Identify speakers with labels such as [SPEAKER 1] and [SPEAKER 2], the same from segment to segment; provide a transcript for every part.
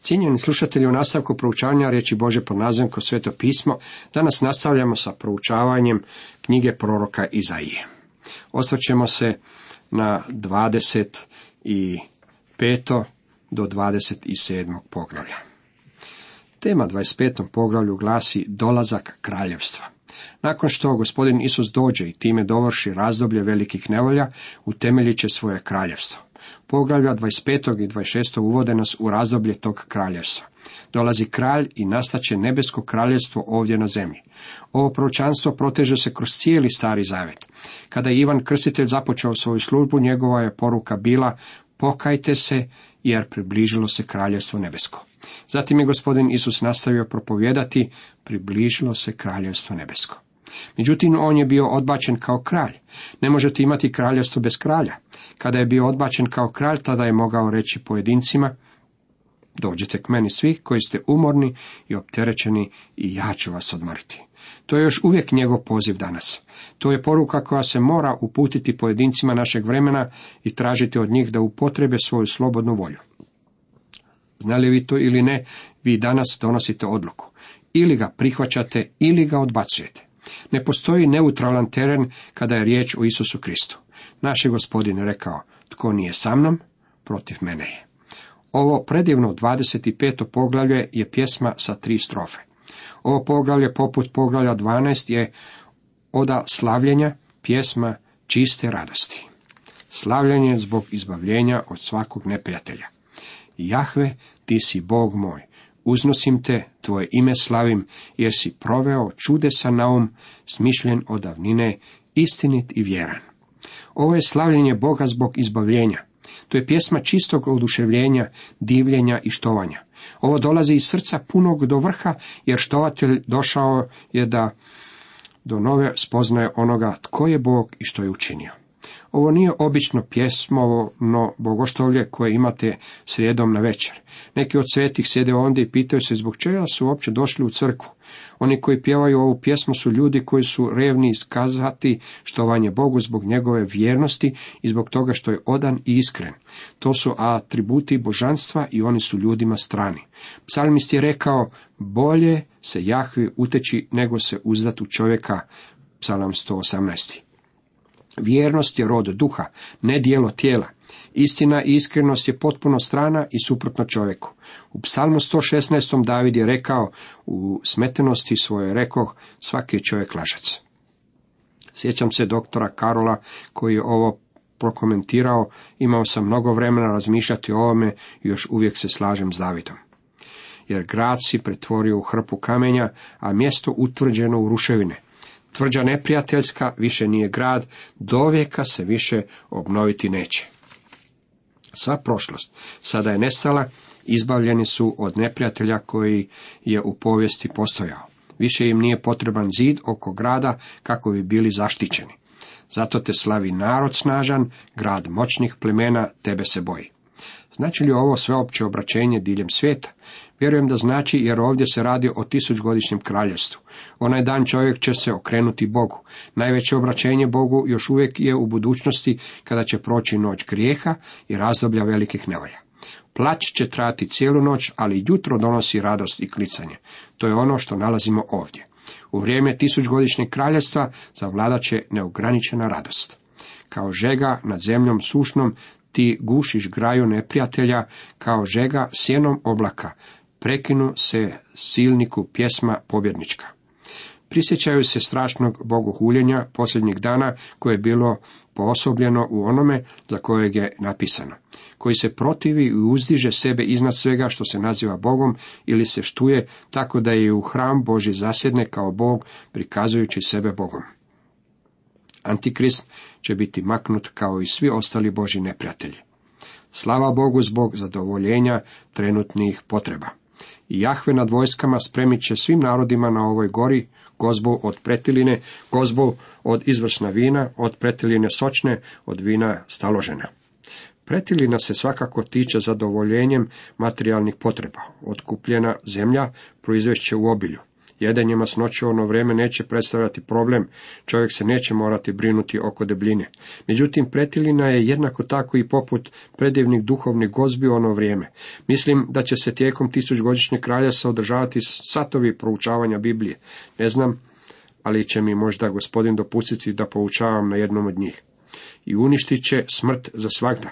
[SPEAKER 1] Cijenjeni slušatelji, u nastavku proučavanja riječi Božje pod nazivom Kroz Sveto pismo, danas nastavljamo sa proučavanjem knjige proroka Izaije. Osvrćemo se na 25. do 27. poglavlja. Tema 25. poglavlju glasi dolazak kraljevstva. Nakon što gospodin Isus dođe i time dovrši razdoblje velikih nevolja, utemeljit će svoje kraljevstvo. Poglavlja 25. i 26. uvode nas u razdoblje tog kraljevstva. Dolazi kralj i nastaće nebesko kraljevstvo ovdje na zemlji. Ovo proročanstvo proteže se kroz cijeli Stari Zavet. Kada je Ivan Krstitelj započeo svoju službu, njegova je poruka bila: pokajte se, jer približilo se kraljevstvo nebesko. Zatim je gospodin Isus nastavio propovijedati: približilo se kraljevstvo nebesko. Međutim, on je bio odbačen kao kralj. Ne možete imati kraljevstvo bez kralja. Kada je bio odbačen kao kralj, tada je mogao reći pojedincima: dođite k meni svi koji ste umorni i opterećeni i ja ću vas odmoriti. To je još uvijek njegov poziv danas. To je poruka koja se mora uputiti pojedincima našeg vremena i tražiti od njih da upotrebe svoju slobodnu volju. Znali vi to ili ne, vi danas donosite odluku. Ili ga prihvaćate, ili ga odbacujete. Ne postoji neutralan teren kada je riječ o Isusu Kristu. Naš je Gospodin rekao: tko nije sa mnom, protiv mene je. Ovo predivno 25. poglavlje je pjesma sa 3 strofe. Ovo poglavlje, poput poglavlja 12, je oda slavljenja, pjesma čiste radosti. Slavljenje zbog izbavljenja od svakog neprijatelja. Jahve, ti si Bog moj, uznosim te, tvoje ime slavim, jer si proveo čudesa naum, smišljen od davnine, istinit i vjeran. Ovo je slavljenje Boga zbog izbavljenja. To je pjesma čistog oduševljenja, divljenja i štovanja. Ovo dolazi iz srca punog do vrha, jer štovatelj došao je da do nove spoznaje onoga tko je Bog i što je učinio. Ovo nije obično pjesmovno bogoštovlje koje imate srijedom na večer. Neki od svetih sjede ondje i pitaju se zbog čega su uopće došli u crkvu. Oni koji pjevaju ovu pjesmu su ljudi koji su revni iskazati štovanje Bogu zbog njegove vjernosti i zbog toga što je odan i iskren. To su atributi božanstva i oni su ljudima strani. Psalmist je rekao: bolje se Jahvi uteći nego se uzdat u čovjeka. Psalam 118. Vjernost je rod duha, ne dijelo tijela. Istina i iskrenost je potpuno strana i suprotna čovjeku. U psalmu 116. David je rekao: u smetenosti svoje rekoh, svaki je čovjek lažac. Sjećam se doktora Karola koji je ovo prokomentirao: imao sam mnogo vremena razmišljati o ovome i još uvijek se slažem s Davidom. Jer grad si pretvorio u hrpu kamenja, a mjesto utvrđeno u ruševine. Tvrđa neprijateljska više nije grad, dovijeka se više obnoviti neće. Sva prošlost sada je nestala, izbavljeni su od neprijatelja koji je u povijesti postojao. Više im nije potreban zid oko grada kako bi bili zaštićeni. Zato te slavi narod snažan, grad moćnih plemena tebe se boji. Znači li ovo sveopće obraćenje diljem svijeta? Vjerujem da znači, jer ovdje se radi o 1000-godišnjem kraljevstvu. Onaj dan čovjek će se okrenuti Bogu. Najveće obraćenje Bogu još uvijek je u budućnosti, kada će proći noć grijeha i razdoblja velikih nevolja. Plać će trajati cijelu noć, ali jutro donosi radost i klicanje. To je ono što nalazimo ovdje. U vrijeme 1000-godišnjeg kraljevstva zavladat će neograničena radost. Kao žega nad zemljom sušnom ti gušiš graju neprijatelja, kao žega sjenom oblaka. Prekinu se silniku pjesma pobjednička. Prisjećaju se strašnog bogohuljenja posljednjih dana koje je bilo poosobljeno u onome za kojeg je napisano, koji se protivi i uzdiže sebe iznad svega što se naziva Bogom ili se štuje tako da je u hram Božji zasjedne kao Bog, prikazujući sebe Bogom. Antikrist će biti maknut kao i svi ostali Božji neprijatelji. Slava Bogu zbog zadovoljenja trenutnih potreba. I Jahve nad vojskama spremit će svim narodima na ovoj gori gozbu od pretiline, gozbu od izvrsna vina, od pretiline sočne, od vina staložena. Pretilina se svakako tiče zadovoljenjem materijalnih potreba. Otkupljena zemlja proizvešće u obilju. Jedenje masnoće u ono vrijeme neće predstavljati problem, čovjek se neće morati brinuti oko debljine. Međutim, pretilina je jednako tako i poput predivnih duhovnih gozbi u ono vrijeme. Mislim da će se tijekom 1000-godišnjeg kraljevstva održavati satovi proučavanja Biblije. Ne znam, ali će mi možda Gospodin dopustiti da poučavam na jednom od njih. I uništit će smrt za svagda.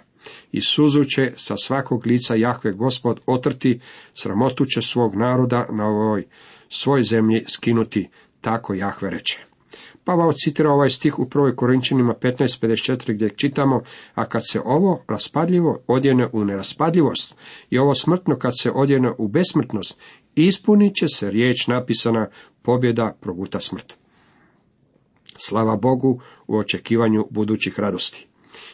[SPEAKER 1] I suzu će sa svakog lica Jahve Gospod otrti, sramotu će svog naroda na ovoj svoj zemlji skinuti, tako Jahve reče. Pavao citira ovaj stih u 1. Korinčanima 15:54 gdje čitamo: a kad se ovo raspadljivo odjene u neraspadljivost i ovo smrtno kad se odjene u besmrtnost, ispunit će se riječ napisana: pobjeda proguta smrt. Slava Bogu u očekivanju budućih radosti.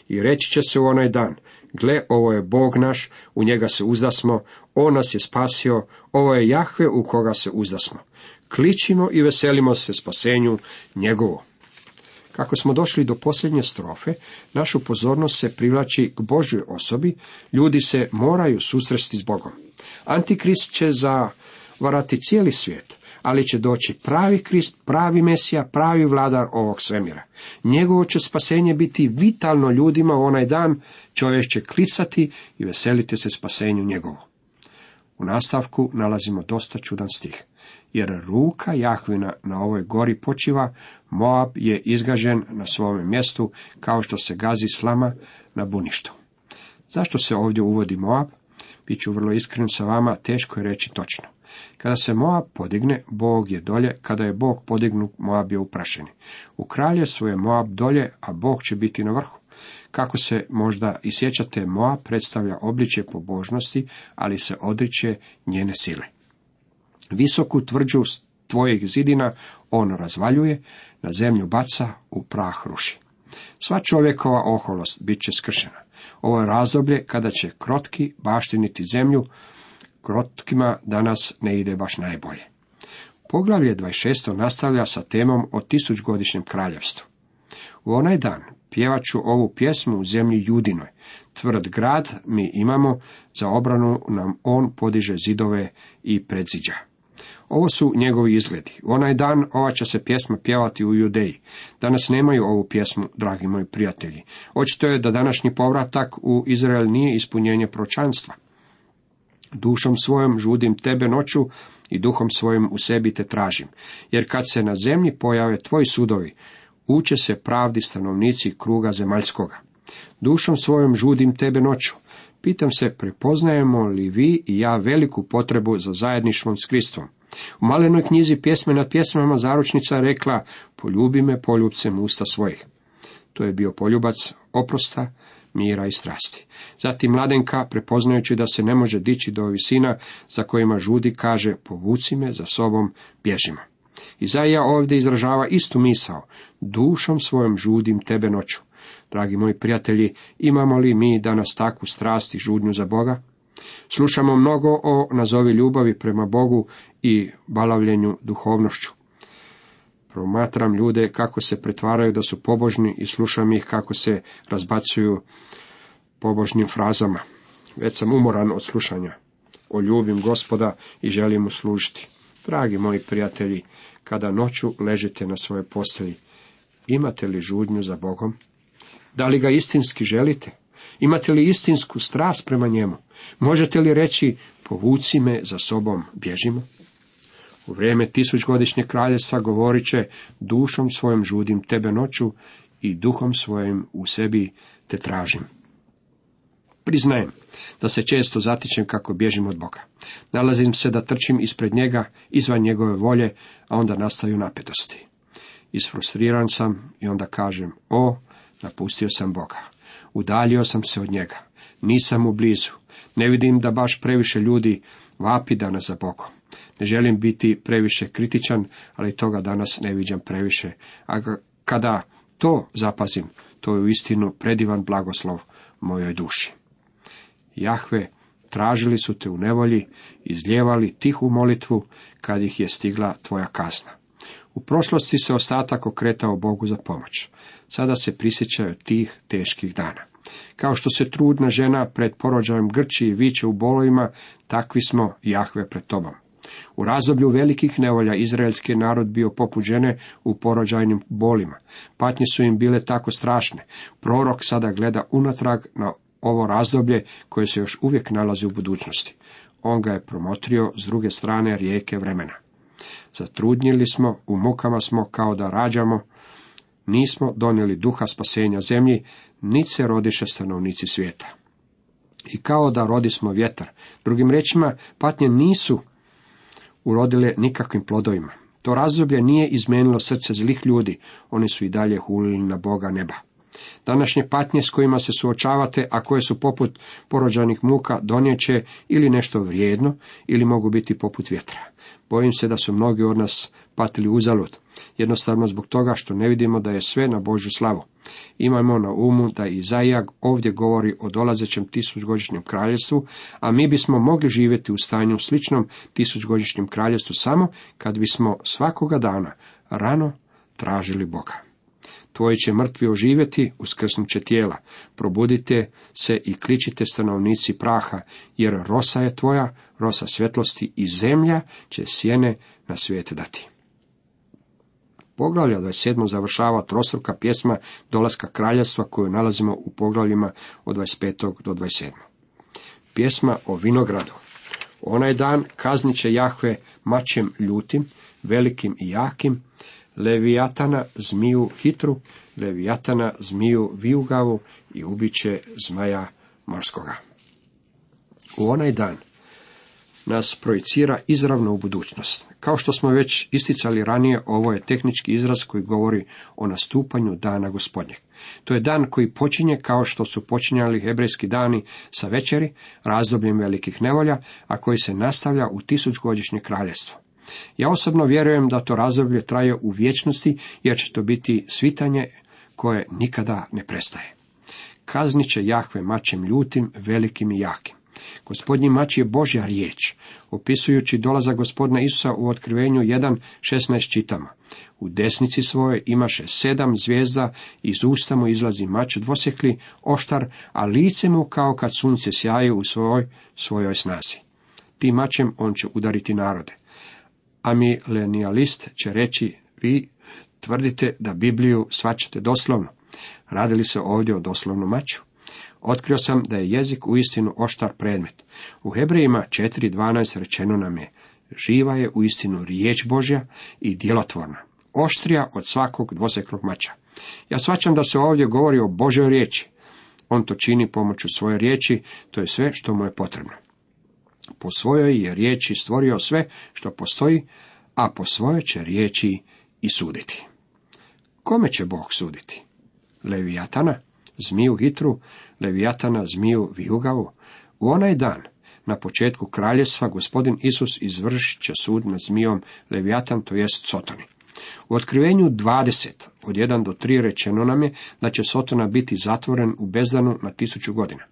[SPEAKER 1] I reći će se u onaj dan: gle, ovo je Bog naš, u njega se uzdasmo, on nas je spasio, ovo je Jahve u koga se uzdasmo. Kličimo i veselimo se spasenju njegovo. Kako smo došli do posljednje strofe, našu pozornost se privlači k Božjoj osobi, ljudi se moraju susresti s Bogom. Antikrist će zavarati cijeli svijet, ali će doći pravi Krist, pravi Mesija, pravi vladar ovog svemira. Njegovo će spasenje biti vitalno ljudima u onaj dan, čovjek će klicati i veseliti se spasenju njegovo. U nastavku nalazimo dosta čudan stih. Jer ruka Jahvina na ovoj gori počiva, Moab je izgažen na svome mjestu, kao što se gazi slama na buništu. Zašto se ovdje uvodi Moab? Biću vrlo iskren sa vama, teško je reći točno. Kada se Moab podigne, Bog je dolje, kada je Bog podignut, Moab je uprašeni. U kraljevstvu je Moab dolje, a Bog će biti na vrhu. Kako se možda i sjećate, Moab predstavlja obličje pobožnosti, ali se odriče njene sile. Visoku tvrđu tvojih zidina on razvaljuje, na zemlju baca, u prah ruši. Sva čovjekova oholost bit će skršena. Ovo je razdoblje kada će krotki baštiniti zemlju, krotkima danas ne ide baš najbolje. Poglavlje 26. nastavlja sa temom o 1000-godišnjem kraljevstvu. U onaj dan pjevat ću ovu pjesmu u zemlji Judinoj. Tvrd grad mi imamo, za obranu nam on podiže zidove i predziđa. Ovo su njegovi izgledi. U onaj dan ova će se pjesma pjevati u Judeji. Danas nemaju ovu pjesmu, dragi moji prijatelji. Očito je da današnji povratak u Izrael nije ispunjenje proročanstva. Dušom svojom žudim tebe noću i duhom svojim u sebi te tražim. Jer kad se na zemlji pojave tvoji sudovi, uče se pravdi stanovnici kruga zemaljskoga. Dušom svojom žudim tebe noću. Pitam se, prepoznajemo li vi i ja veliku potrebu za zajedništvom s Kristom? U malenoj knjizi Pjesme nad pjesmama zaručnica je rekla: poljubi me poljubcem usta svojih. To je bio poljubac oprosta, mira i strasti. Zatim mladenka, prepoznajući da se ne može dići do visina za kojima žudi, kaže: povuci me za sobom, bježimo. Izaija ovdje izražava istu misao: dušom svojom žudim tebe noću. Dragi moji prijatelji, imamo li mi danas takvu strast i žudnju za Boga? Slušamo mnogo o nazovi ljubavi prema Bogu i balavljenju duhovnošću. Promatram ljude kako se pretvaraju da su pobožni i slušam ih kako se razbacuju pobožnim frazama. Već sam umoran od slušanja. Ljubim Gospoda i želim mu služiti. Dragi moji prijatelji, kada noću ležite na svojoj postelji, imate li žudnju za Bogom? Da li ga istinski želite? Imate li istinsku strast prema njemu? Možete li reći: povuci me za sobom, bježimo? U vrijeme 1000-godišnjeg kraljevstva govorit će: dušom svojom žudim tebe noću i duhom svojim u sebi te tražim. Priznajem da se često zatičem kako bježim od Boga. Nalazim se da trčim ispred njega, izvan njegove volje, a onda nastaju napetosti. Isfrustriran sam i onda kažem: napustio sam Boga. Udaljio sam se od njega. Nisam mu blizu. Ne vidim da baš previše ljudi vapi danas za Bogom. Ne želim biti previše kritičan, ali toga danas ne viđam previše. A kada to zapazim, to je uistinu predivan blagoslov mojoj duši. Jahve, tražili su te u nevolji, izlijevali tihu molitvu kad ih je stigla tvoja kazna. U prošlosti se ostatak okretao Bogu za pomoć. Sada se prisjećaju tih teških dana. Kao što se trudna žena pred porođajem grči i viče u bolovima, takvi smo, Jahve, pred tobom. U razdoblju velikih nevolja izraelski narod bio poput žene u porođajnim bolima. Patnje su im bile tako strašne. Prorok sada gleda unatrag na ovo razdoblje koje se još uvijek nalazi u budućnosti. On ga je promotrio s druge strane rijeke vremena. Zatrudnjili smo, u mukama smo kao da rađamo, nismo donijeli duha spasenja zemlji, niti se rodiše stanovnici svijeta. I kao da rodismo vjetar. Drugim riječima, patnje nisu urodile nikakvim plodovima. To razdoblje nije izmijenilo srce zlih ljudi, oni su i dalje hulili na Boga neba. Današnje patnje s kojima se suočavate, a koje su poput porođajnih muka, donijeće ili nešto vrijedno, ili mogu biti poput vjetra. Bojim se da su mnogi od nas patili uzalud, jednostavno zbog toga što ne vidimo da je sve na Božju slavu. Imajmo na umu da Izaija ovdje govori o dolazećem tisućgodišnjem kraljevstvu, a mi bismo mogli živjeti u stanju sličnom tisućgodišnjem kraljevstvu samo kad bismo svakoga dana rano tražili Boga. Tvoji će mrtvi oživjeti, uskrsnut će tijela. Probudite se i kličite stanovnici praha, jer rosa je tvoja, rosa svjetlosti, i zemlja će sjene na svijet dati. Poglavlje 27. završava trostruka pjesma dolaska kraljevstva koju nalazimo u poglavljima od 25. do 27. Pjesma o vinogradu. Onaj dan kaznit će Jahve mačem ljutim, velikim i jakim, Levijatana, zmiju hitru, Levijatana, zmiju vijugavu i ubiće zmaja morskoga. U onaj dan nas projicira izravno u budućnost. Kao što smo već isticali ranije, ovo je tehnički izraz koji govori o nastupanju dana Gospodnjeg. To je dan koji počinje kao što su počinjali hebrejski dani sa večeri, razdobljem velikih nevolja, a koji se nastavlja u tisućgodišnje kraljevstvo. Ja osobno vjerujem da to razdoblje traje u vječnosti, jer će to biti svitanje koje nikada ne prestaje. Kaznit će Jahve mačem ljutim, velikim i jakim. Gospodnji mač je Božja riječ. Opisujući dolazak Gospodina Isusa u Otkrivenju 1:16 čitamo: u desnici svoje imaše 7 zvijezda, iz usta mu izlazi mač dvosjekli, oštar, a lice mu kao kad sunce sjaje u svojoj snazi. Tim mačem on će udariti narode. A milenijalist će reći: vi tvrdite da Bibliju shvaćate doslovno. Radi li se ovdje o doslovnom maču? Otkrio sam da je jezik uistinu oštar predmet. U Hebrejima 4:12 rečeno nam je: živa je uistinu riječ Božja i djelotvorna, oštrija od svakog dvosjeklog mača. Ja shvaćam da se ovdje govori o Božjoj riječi. On to čini pomoću svoje riječi, to je sve što mu je potrebno. Po svojoj je riječi stvorio sve što postoji, a po svojoj će riječi i suditi. Kome će Bog suditi? Levijatana, zmiju hitru, Levijatana, zmiju vijugavu. U onaj dan, na početku kraljevstva, Gospodin Isus izvršit će sud nad zmijom Levijatan, to jest Sotoni. U Otkrivenju 20, od 1 do 3 rečeno nam je da će Sotona biti zatvoren u bezdanu na 1000 godina.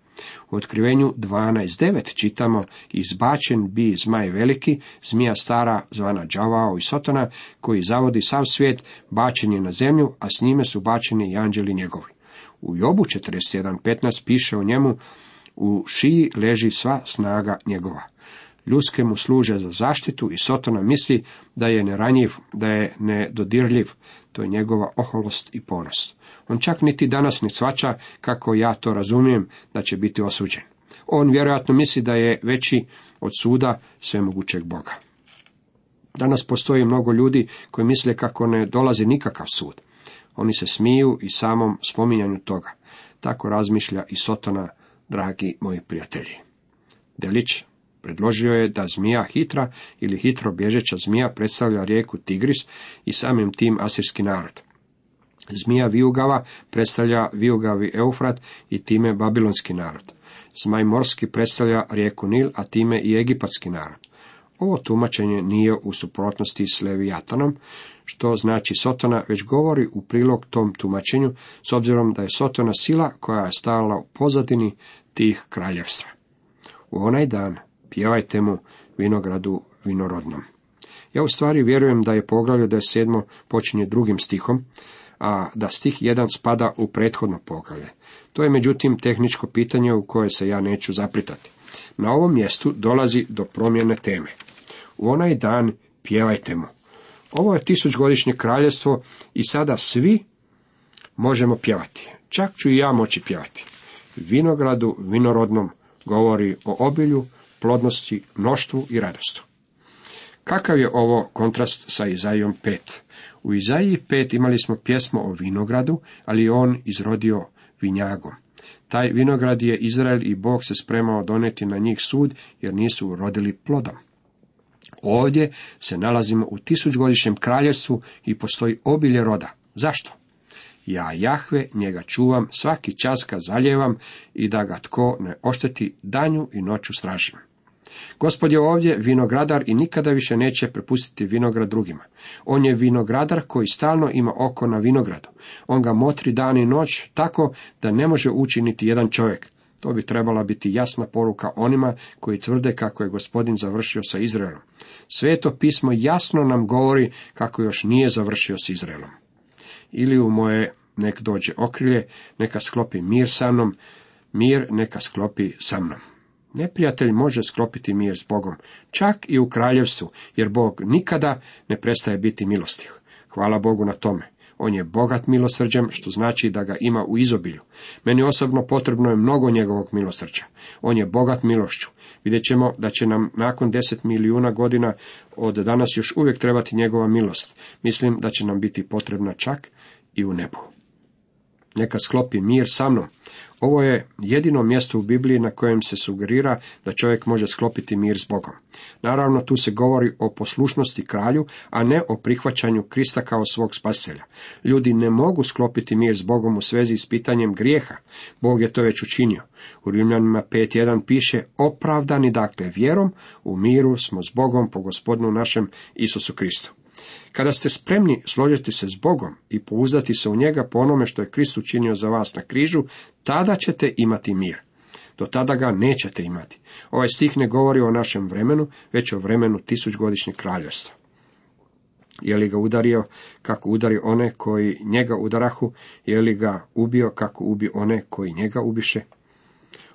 [SPEAKER 1] U Otkrivenju 12:9 čitamo: izbačen bi zmaj veliki, zmija stara zvana đavao i Sotona, koji zavodi sav svijet, bačen je na zemlju, a s njime su bačeni i anđeli njegovi. U Jobu 41:15 piše o njemu: u šiji leži sva snaga njegova. Ljuske mu služe za zaštitu i Sotona misli da je neranjiv, da je nedodirljiv. To je njegova oholost i ponos. On čak niti danas ne shvaća, kako ja to razumijem, da će biti osuđen. On vjerojatno misli da je veći od suda svemogućeg Boga. Danas postoji mnogo ljudi koji misle kako ne dolazi nikakav sud. Oni se smiju i samom spominjanju toga. Tako razmišlja i Sotona, dragi moji prijatelji. Delić predložio je da zmija hitra ili hitro bježeća zmija predstavlja rijeku Tigris i samim tim asirski narod. Zmija vijugava predstavlja vijugavi Eufrat i time babilonski narod. Zmaj morski predstavlja rijeku Nil, a time i egipatski narod. Ovo tumačenje nije u suprotnosti s Levijatanom, što znači Sotona, već govori u prilog tom tumačenju, s obzirom da je Sotona sila koja je stajala u pozadini tih kraljevstva. U onaj dan pjevajte mu vinogradu vinorodnom. Ja u stvari vjerujem da je poglavlje 27. počinje 2. stihom, a da stih 1 spada u prethodno poglavlje. To je međutim tehničko pitanje u koje se ja neću zapletati. Na ovom mjestu dolazi do promjene teme. u onaj dan pjevajte mu. Ovo je 1000-godišnje kraljevstvo i sada svi možemo pjevati. Čak ću i ja moći pjevati. Vinogradu vinorodnom govori o obilju, plodnosti, mnoštvu i radostu. Kakav je ovo kontrast sa Izajom 5? U Izaiji 5 imali smo pjesmu o vinogradu, ali je on izrodio vinjagom. Taj vinograd je Izrael i Bog se spremao donijeti na njih sud, jer nisu urodili plodom. Ovdje se nalazimo u 1000-godišnjem kraljevstvu i postoji obilje roda. Zašto? Ja, Jahve, njega čuvam, svaki čas ga zaljevam i da ga tko ne ošteti, danju i noću stražim. Gospod je ovdje vinogradar i nikada više neće prepustiti vinograd drugima. On je vinogradar koji stalno ima oko na vinogradu. On ga motri dan i noć tako da ne može ući niti jedan čovjek. To bi trebala biti jasna poruka onima koji tvrde kako je Gospodin završio sa Izraelom. Sveto pismo jasno nam govori kako još nije završio s Izraelom. Ili u moje nek dođe okrilje, neka sklopi mir sa mnom, mir neka sklopi sa mnom. Neprijatelj može sklopiti mir s Bogom, čak i u kraljevstvu, jer Bog nikada ne prestaje biti milostiv. Hvala Bogu na tome. On je bogat milosrđem, što znači da ga ima u izobilju. Meni osobno potrebno je mnogo njegovog milosrđa. On je bogat milošću. Vidjet ćemo da će nam nakon 10 milijuna godina od danas još uvijek trebati njegova milost. Mislim da će nam biti potrebna čak i u nebu. Neka sklopi mir sa mnom. Ovo je jedino mjesto u Bibliji na kojem se sugerira da čovjek može sklopiti mir s Bogom. Naravno, tu se govori o poslušnosti kralju, a ne o prihvaćanju Krista kao svog spasitelja. Ljudi ne mogu sklopiti mir s Bogom u svezi s pitanjem grijeha. Bog je to već učinio. U Rimljanima 5.1 piše: opravdani dakle vjerom, u miru smo s Bogom po Gospodinu našem Isusu Kristu. Kada ste spremni složiti se s Bogom i pouzdati se u njega po onome što je Krist učinio za vas na križu, tada ćete imati mir. Do tada ga nećete imati. Ovaj stih ne govori o našem vremenu, već o vremenu 1000-godišnjeg kraljevstva. Je li ga udario kako udari one koji njega udarahu? Je li ga ubio kako ubi one koji njega ubiše?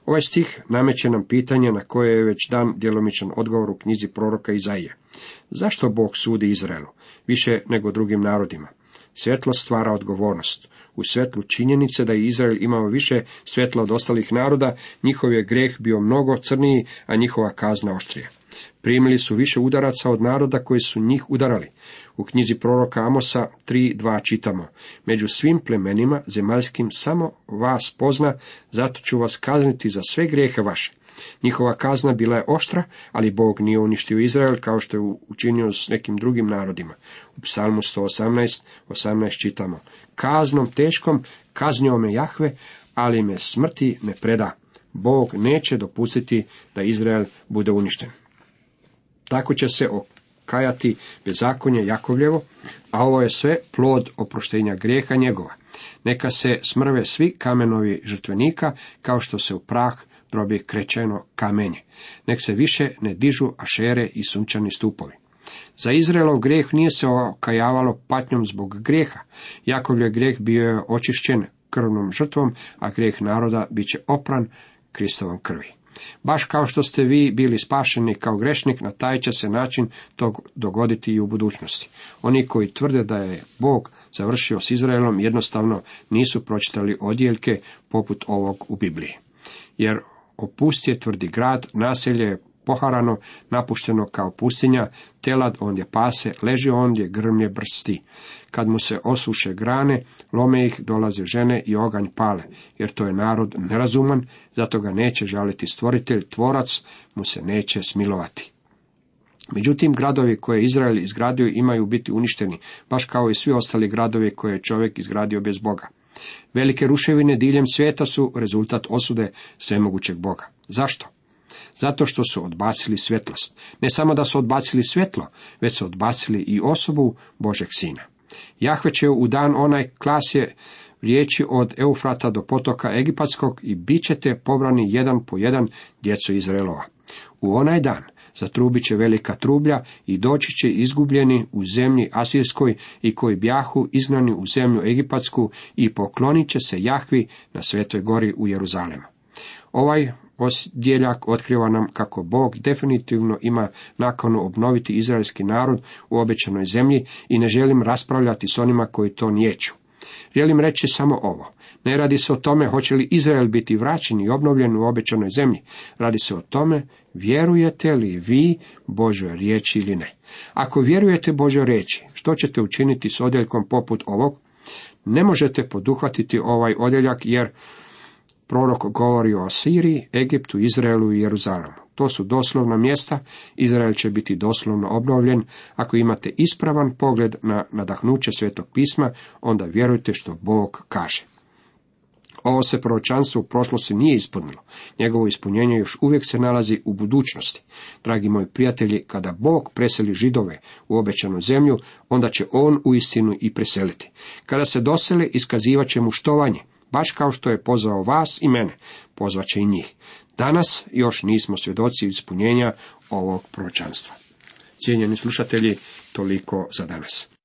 [SPEAKER 1] Ovaj stih nameće nam pitanje na koje je već dan djelomičan odgovor u knjizi proroka Izaije. Zašto Bog sudi Izraelu više nego drugim narodima? Svjetlost stvara odgovornost. U svjetlu činjenice da je Izrael imao više svjetla od ostalih naroda, njihov je grijeh bio mnogo crniji, a njihova kazna oštrija. Primili su više udaraca od naroda koji su njih udarali. U knjizi proroka Amosa 3.2 čitamo: među svim plemenima zemaljskim samo vas pozna, zato ću vas kazniti za sve grijehe vaše. Njihova kazna bila je oštra, ali Bog nije uništio Izrael kao što je učinio s nekim drugim narodima. U Psalmu 118 čitamo: kaznom teškom kaznio me Jahve, ali me smrti ne preda. Bog neće dopustiti da Izrael bude uništen. Tako će se okajati bezakonje Jakovljevo, a ovo je sve plod oproštenja grijeha njegova. Neka se smrve svi kamenovi žrtvenika, kao što se u prah drobi krečeno kamenje. Nek se više ne dižu ašere i sunčani stupovi. Za Izraelov grijeh nije se okajavalo patnjom zbog grijeha. Jakovljev grijeh bio je očišćen krvnom žrtvom, a grijeh naroda bit će opran Kristovom krvi. Baš kao što ste vi bili spašeni kao grešnik, na taj će se način to dogoditi i u budućnosti. Oni koji tvrde da je Bog završio s Izraelom jednostavno nisu pročitali odjeljke poput ovog u Bibliji. Jer opust je tvrdi grad, naselje je poharano, napušteno kao pustinja, telad ondje pase, leži ondje grmlje brsti. Kad mu se osuše grane, lome ih, dolaze žene i oganj pale, jer to je narod nerazuman, zato ga neće žaliti stvoritelj, tvorac mu se neće smilovati. Međutim, gradovi koje je Izrael izgradio imaju biti uništeni, baš kao i svi ostali gradovi koje je čovjek izgradio bez Boga. Velike ruševine diljem svijeta su rezultat osude svemogućeg Boga. Zašto? Zato što su odbacili svjetlost. Ne samo da su odbacili svjetlo, već su odbacili i osobu Božeg Sina. Jahve će u dan onaj klasje riječi od Eufrata do potoka Egipatskog i bit ćete pobrani jedan po jedan, djeco Izraelova. U onaj dan zatrubit će velika trublja i doći će izgubljeni u zemlji Asirskoj i koji bjahu izgnani u zemlju Egipatsku i poklonit će se Jahvi na Svetoj gori u Jeruzalemu. Ovaj odjeljak otkriva nam kako Bog definitivno ima nakanu obnoviti izraelski narod u obećanoj zemlji i ne želim raspravljati s onima koji to niječu. Želim reći samo ovo. Ne radi se o tome hoće li Izrael biti vraćen i obnovljen u obećanoj zemlji. Radi se o tome vjerujete li vi Božoj riječi ili ne. Ako vjerujete Božoj riječi, što ćete učiniti s odjeljkom poput ovog? Ne možete poduhvatiti ovaj odjeljak jer prorok govori o Asiriji, Egiptu, Izraelu i Jeruzalemu. To su doslovna mjesta, Izrael će biti doslovno obnovljen. Ako imate ispravan pogled na nadahnuće Svetog pisma, onda vjerujte što Bog kaže. Ovo se proročanstvo u prošlosti nije ispunilo. Njegovo ispunjenje još uvijek se nalazi u budućnosti. Dragi moji prijatelji, kada Bog preseli Židove u obećanu zemlju, onda će on uistinu i preseliti. Kada se dosele, iskazivat će mu štovanje. Baš kao što je pozvao vas i mene, pozvat će i njih. Danas još nismo svjedoci ispunjenja ovog proročanstva. Cijenjeni slušatelji, toliko za danas.